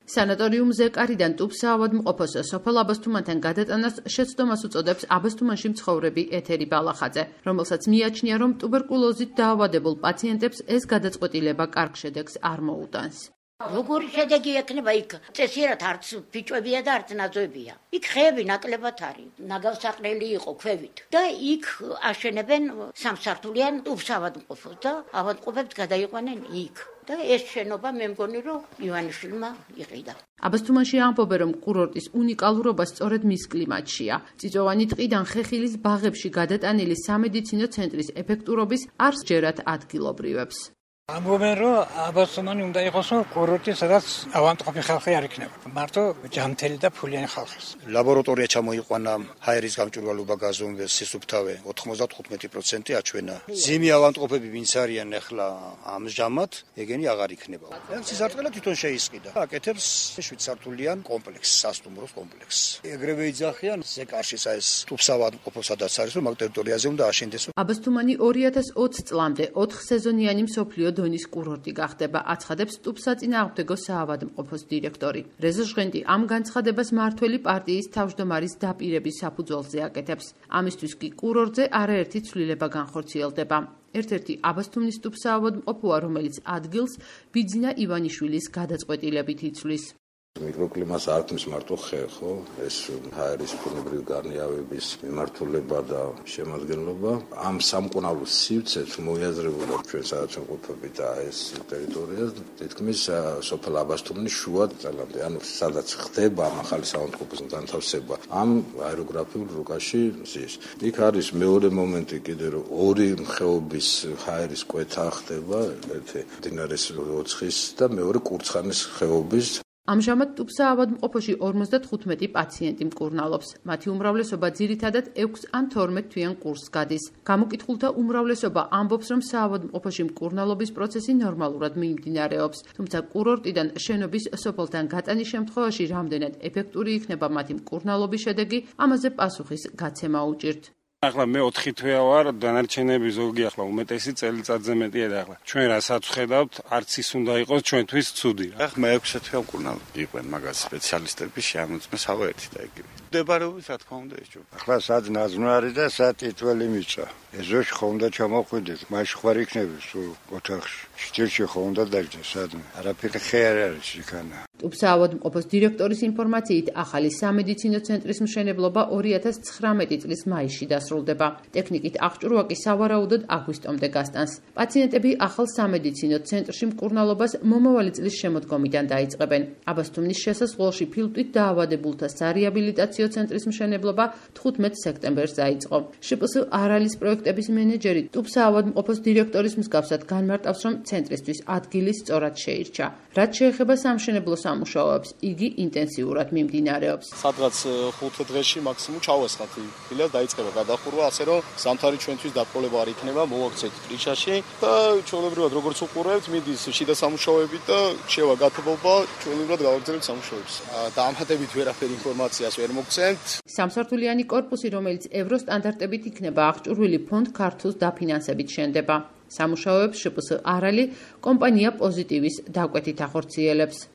სანატორიუმ ზეკარიდან ტუბსაავადმყოფოს სოფელ აბასთუმანთან გადატანას შეცდომას უწოდებს აბასთუმანში მცხოვრები ეთერი ბალახაძე, რომელსაც მიაჩნია, რომ ტუბერკულოზით დაავადებულ პაციენტებს ეს გადაწყვეტილება კარგ შედეგს არ მოუტანს. როგორი შედეგი ექნება იქ? წესიერად არც ბიჭებია და არც ნაძვებია. იქ ხეები ნაკლებად არის. ნაგავსაყრელი იყო ქვევით. და იქ აშენებენ სამსართულიან ტუბსაავადმყოფოს და ავადმყოფებს გადაიყვანენ იქ. და ეს შენობა მე მგონი რომ ივანიშვილმა იყიდა. აბასთუმანში ამბობენ, რომ კურორტის უნიკალურობა სწორედ მის კლიმატშია. წიწვოვანი ტყიდან ხეხილის ბაღებში გადატანილი სამედიცინო ცენტრის ეფექტურობის არ სჯერათ ადგილობრივებს. ამბობენ, რომ აბასთუმანი უნდა იყოს კურორტი, სადაც ავადმყოფი ხალხი არ იქნება. მარტო ჯანმრთელი და ფულიანი ხალხი. ლაბორატორია ჩამოიყვანა, ჰაერის გამჭვირვალობა გაზომვეს, სისუფთავე 95% აჩვენა. ზიმი ავადმყოფები ვინც არიან ახლა ამჟამად, ეგენი აღარ იქნება. სისარტყელა თვითონ შეისყიდა. აკეთებს 7 სართულიან კომპლექსს, სასტუმროს კომპლექსს. ეგრევე იძახიან ზეკარში ეს ტუბსაავადმყოფო სადაც არის, რომ მაგ ტერიტორიაზე უნდა აშენდეს. აბასთუმანი 2020 წლამდე 4 სეზონიანი მსოფლიო დონის კურორტი გახდება, აცხადებს ტუბსაწინააღმდეგო საავადმყოფოს დირექტორი. რეზო ჟღენდი ამ განცხადებას მმართველი პარტიის თავმჯდომარის დაპირების საფუძველზე აკეთებს. ამისთვის კი კურორტზე არაერთი ცვლილება განხორციელდება. ერთ-ერთი აბასთუმნის ტუბსაავადმყოფოა, რომელიც ადგილს ბიძინა ივანიშვილის გადაწყვეტილებით იცვლის. მიკროკლიმატს არ ქმნის მარტო ხე, ხო? ეს ჰაერის ბუნებრივი გარნიავების მიმართულება და შემადგენლობა. ამ სამკურნალო სივრცეს მოიაზრებოდა ჩვენ სადაც ვიმყოფებით და ეს ტერიტორია თითქმის სოფელ აბასთუმნის შუა ძალამდე, ანუ სადაც ხდება ახალი საავადმყოფოს განთავსება. ამ აეროგრაფიულ რუკაში ზის. იქ არის მეორე მომენტი კიდე, რომ ორი ხეობის ჰაერის კვეთა ხდება, ერთი მდინარის ოცხის და მეორე კურცხანის ხეობის. ამჟამად ტუბსაავადმყოფოში 55 პაციენტი მკურნალობს. მათი უმრავლესობა ძირითადად 6 ან 12 თვიან კურსს გადის. გამოკითხულთა უმრავლესობა ამბობს, რომ საავადმყოფოში მკურნალობის პროცესი ნორმალურად მიმდინარეობს, თუმცა კურორტიდან შენობის სოფელთან გატანის შემთხვევაში რამდენად ეფექტური იქნება მათი მკურნალობის შედეგი, ამაზე პასუხის გაცემა უჭირთ. ახლა მე 4 თვეა ვარ, დანარჩენები ზოგი ახლა უმეტესი წელიწადზე მეტია და ახლა ჩვენ რასაც ვხედავთ, არც ის უნდა იყოს ჩვენთვის ცუდი. ახლა მე 6 თვეა მკურნალობ. იყვენ მაგას სპეციალისტები შეამოწმეს ავა ერთი და იგივე. მდებარეობის რა თქმა უნდა ეს ჯობა. ახლა სად ნაზნარი და სად ტიტველი მიწა. ეზოში ხო უნდა ჩამოყვიდეთ, მაშინ ხარ იქნები სულ ოთახში. სჭირში ხო უნდა დაждდეს სადმე. არაფერი ხე არ არის იქანა. ტუბსაავადმყოფოს დირექტორის ინფორმაციით, ახალი სამედიცინო ცენტრის მშენებლობა 2019 წლის მაისში დასრულდება. ტექნიკით აღჭურვა კი სავარაუდოდ აგვისტომდე გასტანს. პაციენტები ახალ სამედიცინო ცენტრში მკურნალობას მომავალი წლის შემოდგომიდან დაიწყებენ. აბასთუმნის შესასვლელში ფილტვით დაავადებულთა სარეაბილიტაციო ცენტრის მშენებლობა 15 სექტემბერს დაიწყო. შპს არალის პროექტების მენეჯერი ტუბსაავადმყოფოს დირექტორის მსგავსად განმარტავს, რომ ცენტრისთვის ადგილი სწორად შეირჩა. რაც შეეხება სამშენებლო სამუშაოებს, იგი ინტენსიურად მიმდინარეობს. სადღაც 5 დღეში მაქსიმუმ ჩავესხათ ფილიალს დაიწყება გადახურვა, ასე რომ ზამთარი ჩვენთვის დაპყრობა არ იქნება, მოვაქცეთ პრიშაში და ჩვეულებრივად როგორც უყურებთ, მიდის შიდა სამუშაოები და შევა გათბობა, ჩვეულებრივად გავაგრძელებთ სამუშაოებს. დაამატებით ვერაფერი ინფორმაციას ვერ მოგცემთ. სამსართულიანი კორპუსი, რომელიც ევროსტანდარტებით იქნება აღჭურვილი ფონდ ქართულს დაფინანსებით შენდება. სამუშაოებს შპს არალი კომპანია პოზიტივის დაკვეთით ახორციელებს.